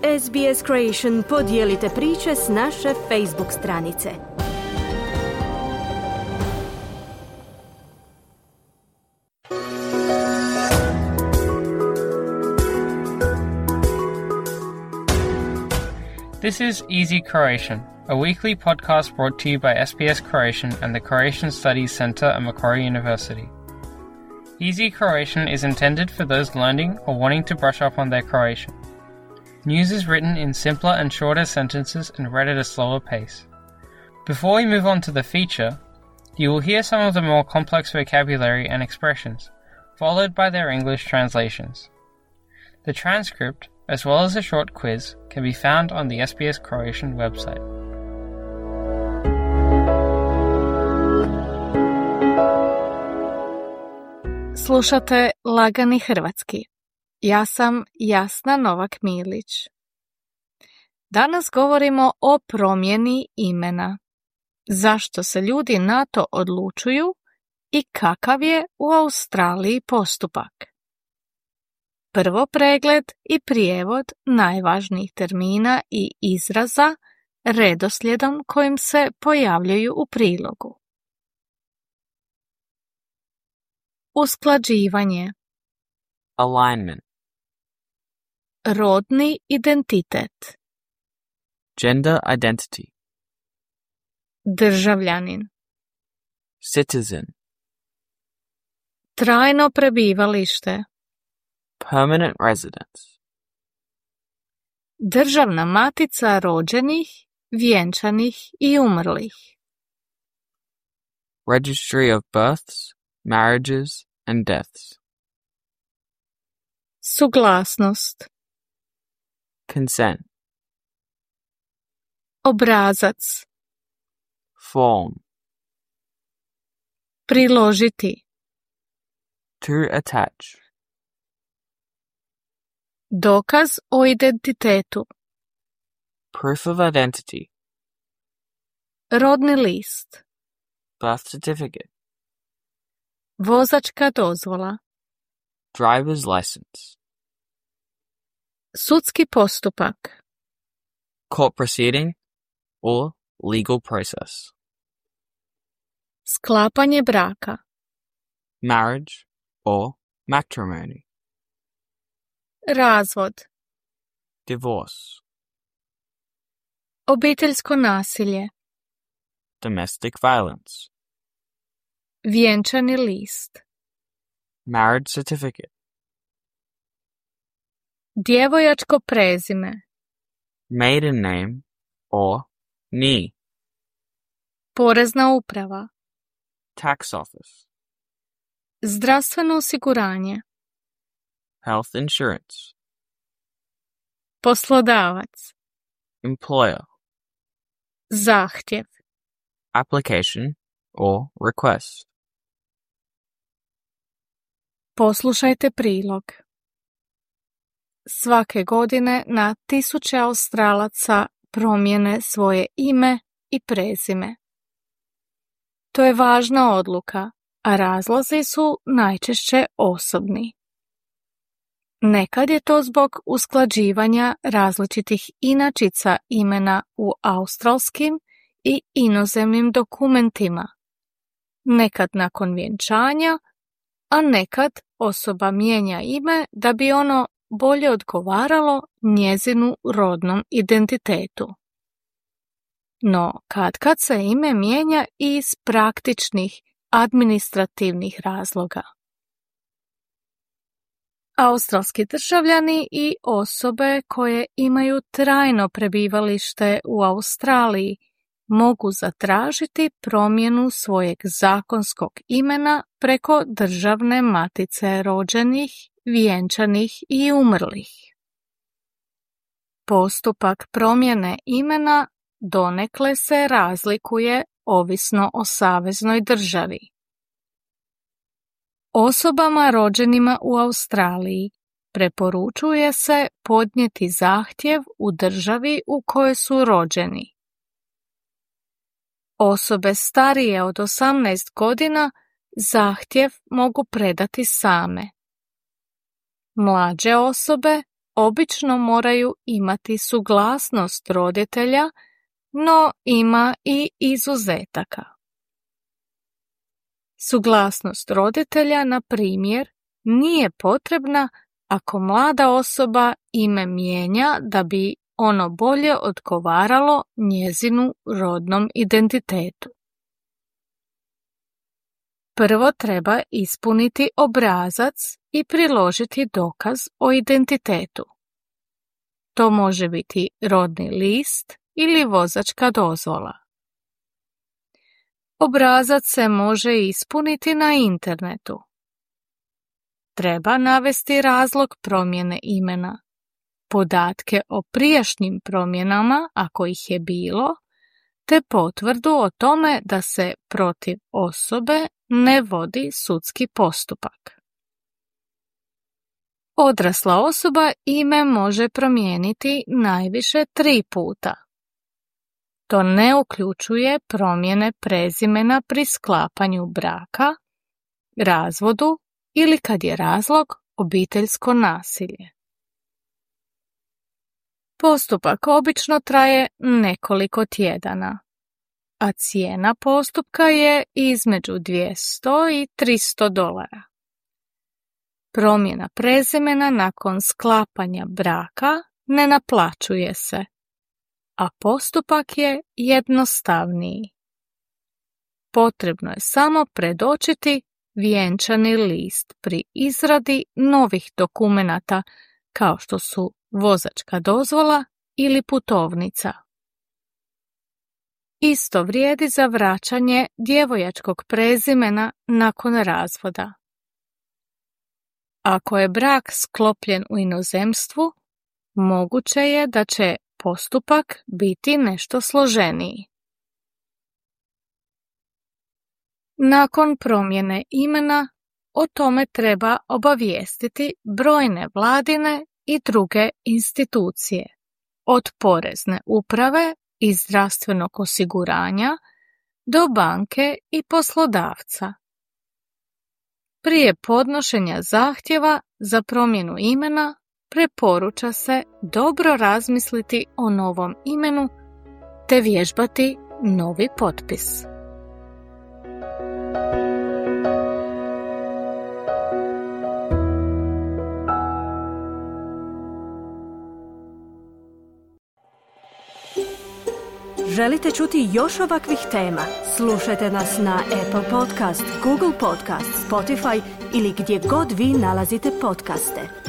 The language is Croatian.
SBS Creation podijelite priče s naše Facebook stranice. This is Easy Croatian, a weekly podcast brought to you by SBS Croatian and the Croatian Studies Centre at Macquarie University. Easy Croatian is intended for those learning or wanting to brush up on their Croatian. News is written in simpler and shorter sentences and read at a slower pace. Before we move on to the feature, you will hear some of the more complex vocabulary and expressions, followed by their English translations. The transcript, as well as a short quiz, can be found on the SBS Croatian website. Slušate Lagani hrvatski. Ja sam Jasna Novak-Milić. Danas govorimo o promjeni imena. Zašto se ljudi na to odlučuju i kakav je u Australiji postupak? Prvo pregled i prijevod najvažnijih termina i izraza redoslijedom kojim se pojavljuju u prilogu. Usklađivanje. Alignment. Rodni identitet. Gender identity. Državljanin. Citizen. Trajno prebivalište. Permanent residence. Državna matica rođenih, vjenčanih i umrlih. Registry of births, marriages, and deaths. Suglasnost. Consent. Obrazac. Form. Priložiti. To attach. Dokaz o identitetu. Proof of identity. Rodni list. Birth certificate. Vozačka dozvola. Driver's license. Sudski postupak. Court proceeding or legal process. Sklapanje braka. Marriage or matrimony. Razvod. Divorce. Obiteljsko nasilje. Domestic violence. Vjenčani list. Marriage certificate. Djevojačko prezime. Maiden name or NIE. Porezna uprava. Tax office. Zdravstveno osiguranje. Health insurance. Poslodavac. Employer. Zahtjev. Application or request. Poslušajte prilog. Svake godine na tisuće Australaca promijene svoje ime i prezime. To je važna odluka, a razlozi su najčešće osobni. Nekad je to zbog usklađivanja različitih inačica imena u australskim i inozemnim dokumentima. Nekad nakon vjenčanja, a nekad osoba mijenja ime da bi ono bolje odgovaralo njezinu rodnom identitetu. No, kad se ime mijenja i iz praktičnih, administrativnih razloga. Australski državljani i osobe koje imaju trajno prebivalište u Australiji mogu zatražiti promjenu svojeg zakonskog imena preko državne matice rođenih, vjenčanih i umrlih. Postupak promjene imena donekle se razlikuje ovisno o saveznoj državi. Osobama rođenima u Australiji preporučuje se podnijeti zahtjev u državi u kojoj su rođeni. Osobe starije od 18 godina zahtjev mogu predati same. Mlađe osobe obično moraju imati suglasnost roditelja, no ima i izuzetaka. Suglasnost roditelja, na primjer, nije potrebna ako mlada osoba ime mijenja da bi ono bolje odgovaralo njezinu rodnom identitetu. Prvo treba ispuniti obrazac i priložiti dokaz o identitetu. To može biti rodni list ili vozačka dozvola. Obrazac se može ispuniti na internetu. Treba navesti razlog promjene imena, podatke o prijašnjim promjenama, ako ih je bilo, te potvrdu o tome da se protiv osobe ne vodi sudski postupak. Odrasla osoba ime može promijeniti najviše 3 puta. To ne uključuje promjene prezimena pri sklapanju braka, razvodu ili kad je razlog obiteljsko nasilje. Postupak obično traje nekoliko tjedana, a cijena postupka je između $200 i $300. Promjena prezimena nakon sklapanja braka ne naplaćuje se, a postupak je jednostavniji. Potrebno je samo predočiti vjenčani list pri izradi novih dokumenata kao što su vozačka dozvola ili putovnica. Isto vrijedi za vraćanje djevojačkog prezimena nakon razvoda. Ako je brak sklopljen u inozemstvu, moguće je da će postupak biti nešto složeniji. Nakon promjene imena, o tome treba obavijestiti brojne vladine i druge institucije, od porezne uprave i zdravstvenog osiguranja do banke i poslodavca. Prije podnošenja zahtjeva za promjenu imena preporuča se dobro razmisliti o novom imenu te vježbati novi potpis. Želite čuti još ovakvih tema? Slušajte nas na Apple Podcast, Google Podcast, Spotify ili gdje god vi nalazite podcaste.